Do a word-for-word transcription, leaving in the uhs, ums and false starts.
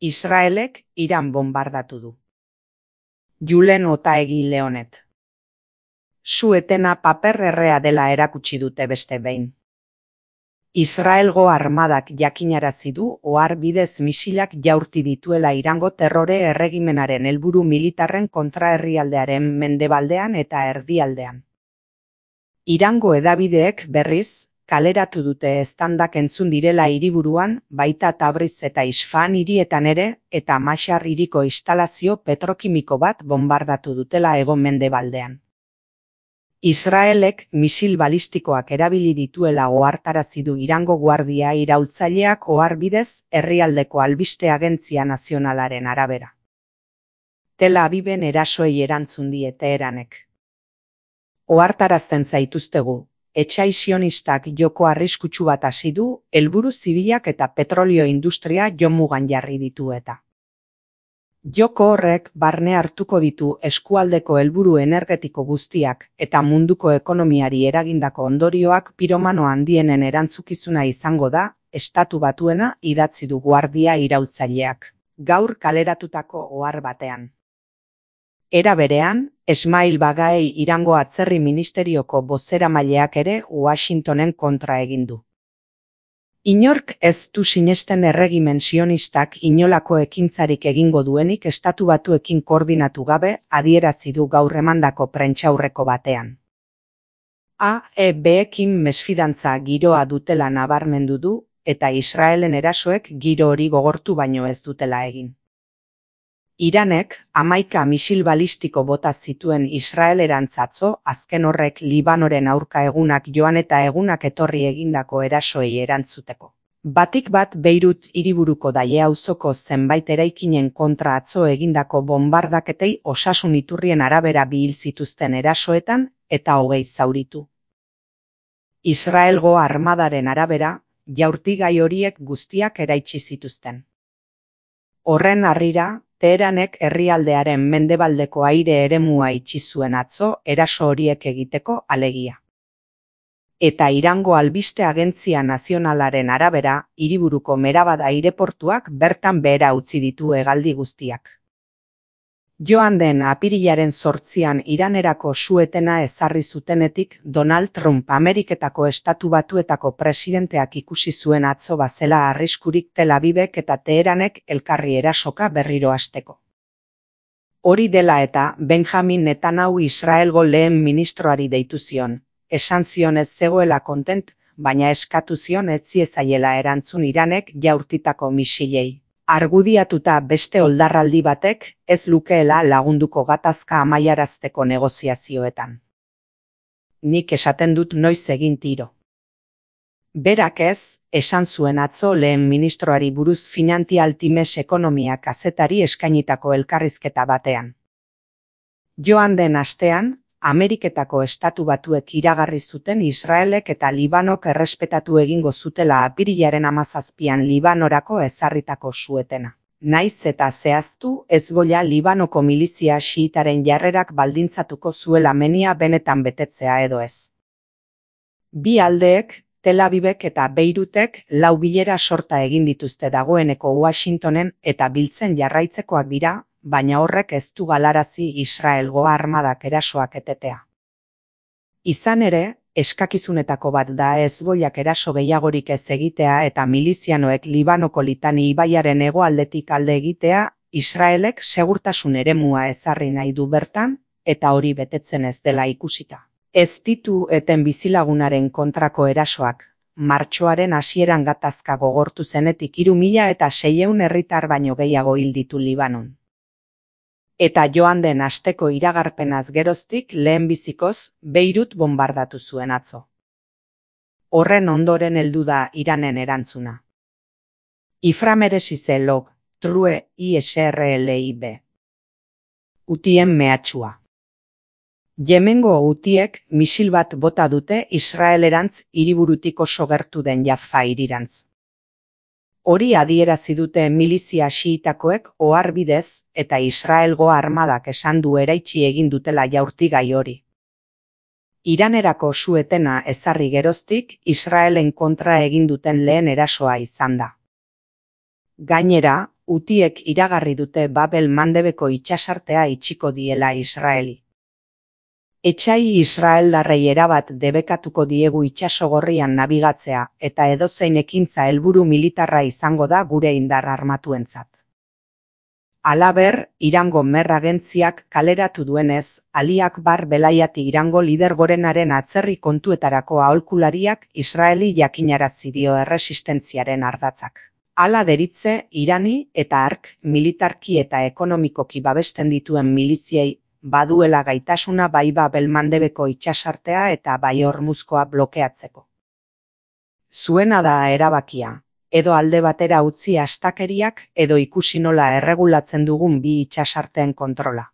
Israelek Iran bombardatu du. Julen Otaegi Leonet. Su-etena paper errea dela erakutsi dute beste behin. Israelgo armadak jakinarazi du ohar bidez misilak jaurti dituela Irango terrore erregimenaren helburu militarren kontra herrialdearen mendebaldean eta erdialdean. Irango hedabideek berriz, kaleratu dute eztandak entzun direla hiriburuan, baita Tabriz eta Isfahan hirietan ere, eta Mashhad hiriko instalazio petrokimiko bat bombardatu dutela hego-mendebaldean. Israelek misil balistikoak erabili dituela ohartarazi du Irango guardia iraultzaileak ohar bidez herrialdeko albiste agentzia nazionalaren arabera. Tel Aviven erasoei erantzun die Teheranek. Ohartarazten zaituztegu, etsai sionistak joko arriskutsu bat hasi du, helburu zibilak eta petrolio industria jomugan jarri ditu eta. Joko horrek barne hartuko ditu eskualdeko helburu energetiko guztiak eta munduko ekonomiari eragindako ondorioak piromano handienen erantzukizuna izango da, Estatu Batuena idatzi du guardia iraultzaileak, gaur kaleratutako ohar batean. Era berean, Esmail Bagaei Irango atzerri ministerioko bozeramaileak ere Washingtonen kontra egin du. Inork ez du sinesten erregimen sionistak inolako ekintzarik egingo duenik Estatu Batuekin koordinatu gabe adierazi du gaur emandako prentsaurreko batean. A E B-ekin mesfidantza giroa dutela nabarmendu du eta Israelen erasoek giro hori gogortu baino ez dutela egin. Iranek hamaika misil balistiko bota zituen Israelerantz atzo, azken horrek Libanoren aurka egunak joan eta egunak etorri egindako erasoei erantzuteko. Batik bat Beirut hiriburuko Daie auzoko zenbait eraikinen kontra atzo egindako bombardaketei osasun iturrien arabera bi hil zituzten erasoetan eta hogei zauritu. Israelgo armadaren arabera, jaurtigai horiek guztiak eraitsi zituzten. Horren harrira, Teheranek herrialdearen mendebaldeko aire eremua itxi zuen atzo eraso horiek egiteko alegia. Eta Irango albiste agentzia nazionalaren arabera, hiriburuko Merabad aireportuak bertan behera utzi ditu hegaldi guztiak. Joan den apirilaren zortzian Iranerako su-etena ezarri zutenetik Donald Trump Ameriketako Estatu Batuetako presidenteak ikusi zuen atzo bazela arriskurik Tel Avivek eta Teheranek elkarri erasoka berriro hasteko. Hori dela eta Benjamin Netanyahu Israelgo lehen ministroari deitu zion, esan zion ez zegoela kontent, baina eskatu zion ez ziezaiela erantzun Iranek jaurtitako misilei. Argudiatuta beste oldarraldi batek ez lukeela lagunduko gatazka amaiarazteko negoziazioetan. Nik esaten dut noiz egin tiro. Berak ez, esan zuen atzo lehen ministroari buruz Financial Times ekonomia kazetari eskainitako elkarrizketa batean. Joan den astean, Ameriketako Estatu Batuek iragarri zuten Israelek eta Libanok errespetatu egingo zutela apirilaren hamazazpian Libanorako ezarritako su-etena. Naiz eta zehaztu Hezbollah Libanoko milizia xiitaren jarrerak baldintzatuko zuela menia benetan betetzea edo ez. Bi aldeek, Tel Avivek eta Beirutek lau bilera sorta egin dituzte dagoeneko Washingtonen eta biltzen jarraitzekoak dira, baina horrek ez du galarazi Israelgo armadak erasoak etetea. Izan ere, eskakizunetako bat da Hezbollak eraso gehiagorik ez egitea eta milizianoek Libanoko Litani ibaiaren hegoaldetik alde egitea, Israelek segurtasun eremua ezarri nahi du bertan, eta hori betetzen ez dela ikusita. Ez ditu eten bizilagunaren kontrako erasoak, martxoaren hasieran gatazka gogortu zenetik hiru mila eta seiehun herritar baino gehiago hil ditu Libanon. Eta joan den asteko iragarpenaz geroztik lehenbizikoz Beirut bombardatu zuen atzo. Horren ondoren heldu da Iranen erantzuna. Iframeresize log, true Israelib. Utien mehatxua. Yemengo Hutiek misil bat bota dute Israelerantz hiriburutik oso gertu den Jaffa hirirantz. Hori adierazi dute milizia xiitakoek ohar bidez eta Israelgo armadak esan du eraitsi egin dutela jaurtigai hori. Iranerako su-etena ezarri geroztik Israelen kontra egin duten lehen erasoa izan da. Gainera, Hutiek iragarri dute Babel Mandebeko itsasartea itxiko diela Israeli. Etsai israeldarrei erabat debekatuko diegu itsasogorrian nabigatzea eta edozein ekintza helburu militarra izango da gure indar armatuentzat. Halaber, Irango Mer agentziak kaleratu duenez, Ali Akbar belaiati Irango lider gorenaren atzerri kontuetarako aholkulariak Israeli jakinarazi dio erresistentziaren ardatzak. Hala deritze, Irani eta hark militarki eta ekonomikoki babesten dituen miliziei baduela gaitasuna bai Babel Mandebeko itsasartea eta bai Hormuzkoa blokeatzeko. Zuena da erabakia, edo alde batera utzi astakeriak edo ikusi nola erregulatzen dugun bi itsasarteen kontrola.